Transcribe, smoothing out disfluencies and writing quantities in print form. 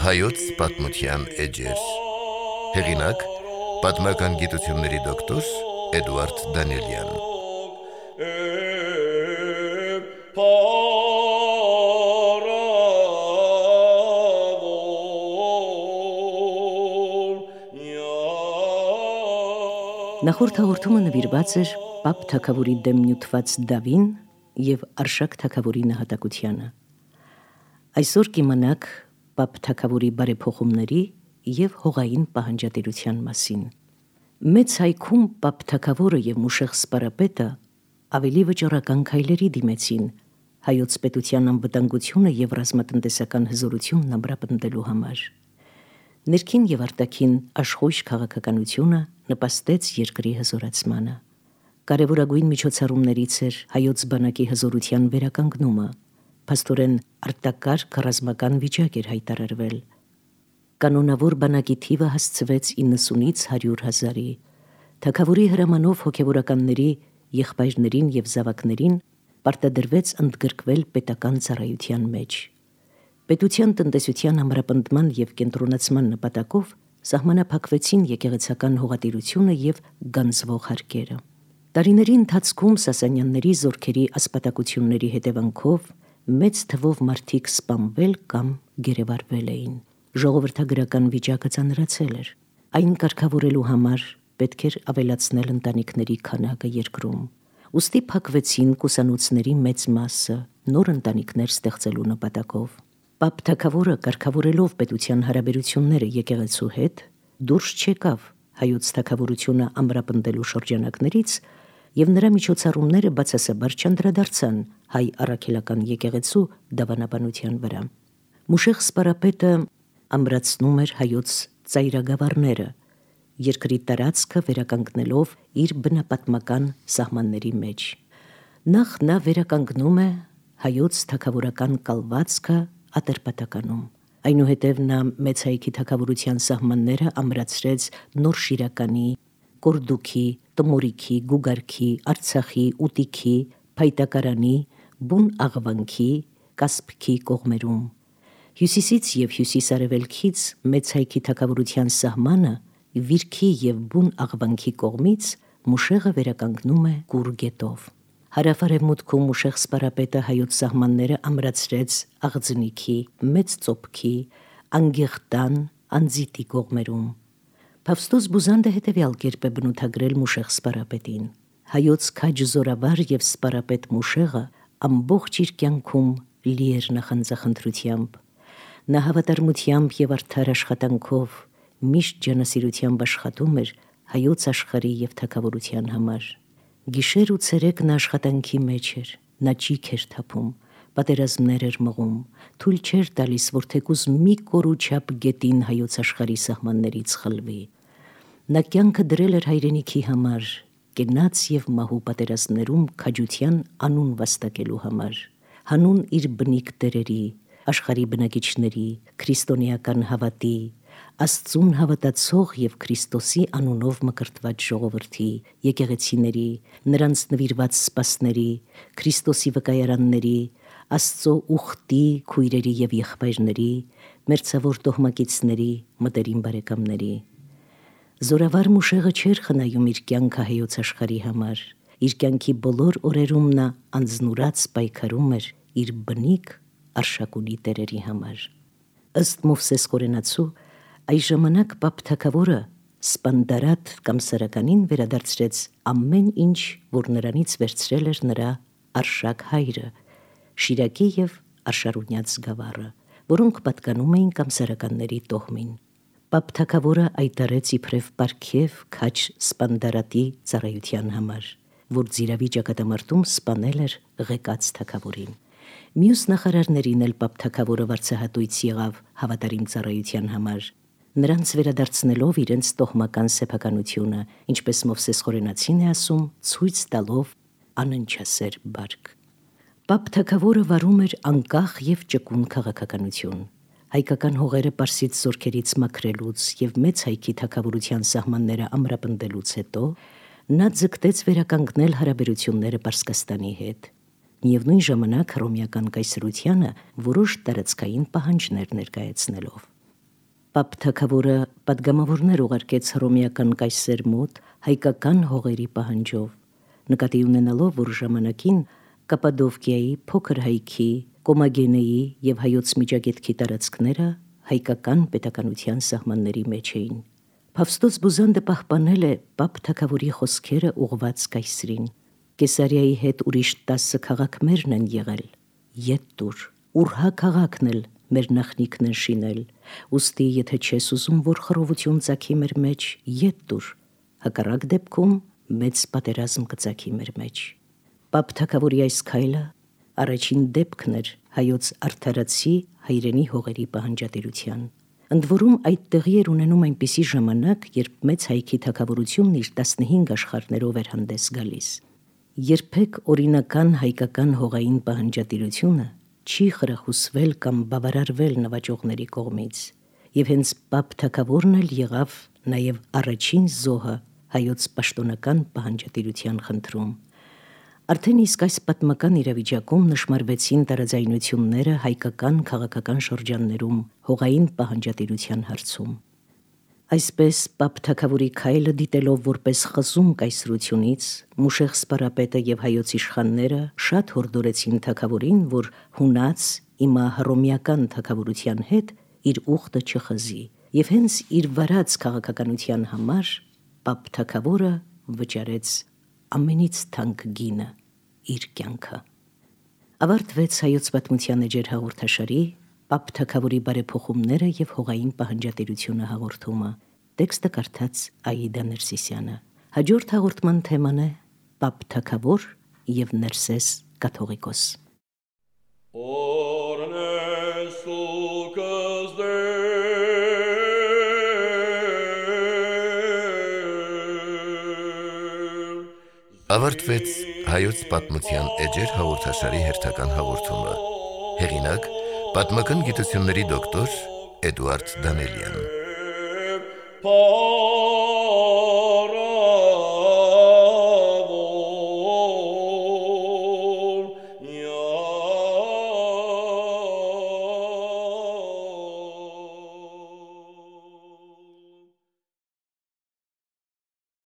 Հայոց պատմության էջեր։ Հեղինակ՝ պատմական գիտությունների դոկտոր Էդուարդ Դանիելյան։ Նախորդ հաղորդումը նվիրված էր Պապ թագավորի դեմ նյութված դավին և Արշակ թագավորի նահատակությանը։ Այսօր կիմանաք Պապ թագավորի բարեփոխումների և հողային պահանջատիրության մասին։ Մեծ հայքում Պապ թագավորը և Մուշեղ սպարապետը ավելի վճռական քայլերի դիմեցին հայոց պետության անվտանգությունը և ռազմատնտեսական հզորությունն ամրապնդելու համար։ Ներքին և արտաքին աշխույժ քաղաքականությունը նպաստեց երկրի հզորացմանը։ Կարևորագույն միջոցառումներից էր հայոց բանակի հզորության վերականգնումը, փաստորեն արտակարգ ռազմական վիճակ էր հայտարարվել։ Կանոնավոր բանակի թիվը հասցվեց 90-ից 100 հազարի։ Թագավորի հրամանով հոգևորականների, եղբայրներին և զավակներին պարտադրվեց ընդգրկվել պետական ծառայության մեջ։ Պետության տնտեսության ամրապնդման և կենտրոնացման նպատակով սահմանափակվեցին եկեղեցական հողատիրությունը և գանձվող հարկերը։ Տարիների ընթացքում Սասանյանների զորքերի ասպատակությունների հետևանքով մեծ թվով մարդիկ սպանվել կամ գերեվարվել էին։ Ժողովրդագրական վիճակը ծանրացել էր։ Այն կարգավորելու համար պետք էր ավելացնել ընտանիքների քանակը երկրում։ Ուստի փակվեցին կուսանոցների մեծ մասը նոր ընտանիքներ ստեղծելու նպատակով։ Պապ թագավորը կարգավորելով պետության հարաբերությունները եկեղեցու հետ դուրս չեկավ հայոց թագավորությունը ամրապնդելու շրջանակներից և նրա միջոցառումները բացասաբար չանդրադարձան հայ առաքելական եկեղեցու դավանաբանության վրա։ Մուշեղ սպարապետը ամրացնում էր հայոց ծայրագավառները, երկրի տարածքը վերականգնելով իր բնապատմական սահմանների մեջ։ Նախ նա վերականգնում է հայոց թագավորական կալվածքը Ատրպատականում։ Այնուհետև նա մեծ հայքի թագավորության սահմանները ամրացրեց Նորշիրականի, Կորդուքի, Տմորիքի, Գուգարքի, Արցախի, Ուտիքի, Փայտակարանի, Բուն Աղվանքի, Կասպքի կողմերում։ Հյուսիսից և հյուսիս-արևելքից մեծ հայքի թագավորության սահմանը Վիրքի և Բուն Աղվանքի կողմից Մուշեղը վերականգնում է Կուր գետով։ Հարավ-արևմուտքում Մուշեղ սպարապետը հայոց սահմանները ամրացրեց Աղձնիքի, Մեծ Ծոփքի, Անգեղտան, Անձիտի կողմերում։ Փավստոս Բուզանդը հետևյալ կերպ է բնութագրել Մուշեղ սպարապետին. հայոց քաջ զորավար և սպարապետ Մուշեղը ամբողջ իր կյանքում լի էր նախանձախնդրությամբ։ Նա հավատարմությամբ և արդար աշխատանքով միշտ ջանասիրությամբ աշխատում էր հայոց աշխարհի և թագավորության համար։ Գիշեր ու ցերեկ նա աշխատանքի մեջ էր, նա ճիգ էր թափում, պատերազմներ էր մղում, թույլ չէր տալիս, որ թեկուզ մի կորու չափ գետին հայոց աշխարհի սահմաններից խլվի։ Նա կյանքը դրել էր հայրենիքի համար, կենաց և մահու պատերազմներում քաջության անուն վաստակելու համար, հանուն իր բնիկ տերերի, աշխարհի բնակիչների, քրիստոնեական հավատի, Աստծուն հավատացող և Քրիստոսի անունով մկրտված ժողովրդի, եկեղեցիների, նրանց նվիրված սպասների, Քրիստոսի վկայարանների, Աստծո ուխտի քույրերի և եղբայրների, մերձավոր տոհմակիցների, մտերիմ բարեկամների։ Զորավար Մուշեղը չէր խնայում իր կյանքը հայոց աշխարհի համար։ Իր կյանքի բոլոր օրերում նա անձնուրաց պայքարում էր իր բնիկ Արշակունի տերերի համար։ Ըստ Մովսես Կորենացու, այս ժամանակ Պապ թագավորը Սպանդարատ կամ Սարականին վերադարձրեց ամեն ինչ, որ նրանից վերցրել էր նրա Արշակ հայրը, Շիրակի և Արշարունյաց գավառը, որոնք պատկանում էին Կամսարականների տոհմին։ Պապ թագավորը այտարեց իբրև պարգև քաջ Սպանդարատի ծառայության համար, որ Ձիրավի ճակատամարտում սպանել էր Ղեկաց թագավորին։ Մյուս նախարարներին էլ Պապ թագավորը վարձահատույց եղավ հավատարիմ ծառայության համար, նրանց վերադարձնելով իրենց տոհմական սեփականությունը, ինչպես Մովսես Խորենացին է ասում, ցույց տալով անընչասեր բարք։ Պապ թագավորը վարում էր անկախ և ճկուն քաղաքականություն։ հայկական հողերը Պարսից զորքերից մաքրելուց եւ մեծ հայքի թագավորության սահմանները ամրապնդելուց հետո նա ձգտեց վերականգնել հարաբերությունները Պարսկաստանի հետ։ Միևնույն ժամանակ հռոմեական կայսրությանը որոշ տարածքային պահանջներ ներկայացնելով։ Պապ թագավորը պատգամավորներ ուղարկեց հռոմեական կայսեր մոտ հայկական հողերի պահանջով, նկատի ունենալով, որ ժամանակին Կապադովկիայի, Փոքր հայքի, Կոմագենեի եւ Հայոց Միջագետքի տարածքները հայկական պետականության սահմանների մեջ էին։ Փավստոց Բուզանդը պահպանել է Պապ թագավորի խոսքերը ուղված կայսրին։ Կեսարիայի հետ ուրիշ 10 քաղաքներն են եղել։ Ետ տուր, Ուրհա քաղաքն էլ մեր նախնիկն են շինել, ուստի եթե չես ուզում, որ խռովություն ծագի մեր մեջ, ետ տուր, հակառակ դեպքում մեծ պատերազմ կծագի մեր մեջ։ Պապ թագավորի այս քայլը առաջին դեպքն էր հայոց արդարացի հայրենի հողերի պահանջատիրության։ Ընդ որում այդ տեղի էր ունենում այնպիսի ժամանակ, երբ մեծ հայքի թագավորությունն իր 15 աշխարհներով էր հանդես գալիս։ Երբեք օրինական հայկական հողային պահանջատիրությունը չի խրախուսվել կամ բավարարվել նվաճողների կողմից, եւ հենց Պապ թագավորն էլ եղավ նաեւ առաջին զոհը հայոց պաշտոնական պահանջատիրության խնդրում։ Արդեն իսկ այս պատմական իրավիճակում նշմարվեցին տարաձայնությունները հայկական քաղաքական շրջաններում հողային պահանջատիրության հարցում։ Այսպես Պապ թագավորի քայլը դիտելով որպես խզում կայսրությունից, Մուշեղ սպարապետը եւ հայոց իշխանները շատ հորդորեցին թագավորին, որ հունած իմա հռոմեական թագավորության հետ իր ուխտը չխզի, եւ հենց իր վարած քաղաքականության համար Պապ թագավորը վճարեց ամենից թանկ գինը, իր կյանքը։ Ավարտվեց հայոց պատմության էջեր հաղորդաշարի Պապ թագավորի բարեփոխումները եւ հողային պահանջատիրությունը հաղորդումը։ Տեքստը կարդաց Աիդա Ներսիսյանը։ Հաջորդ հաղորդման թեման է Պապ թագավոր եւ Ներսես կաթողիկոս։ Ավարտվեց հայոց պատմության էջեր հաղորդաշարի հերթական հաղորդումը։ Հեղինակ՝ պատմական գիտությունների դոկտոր Էդուարդ Դանելյան։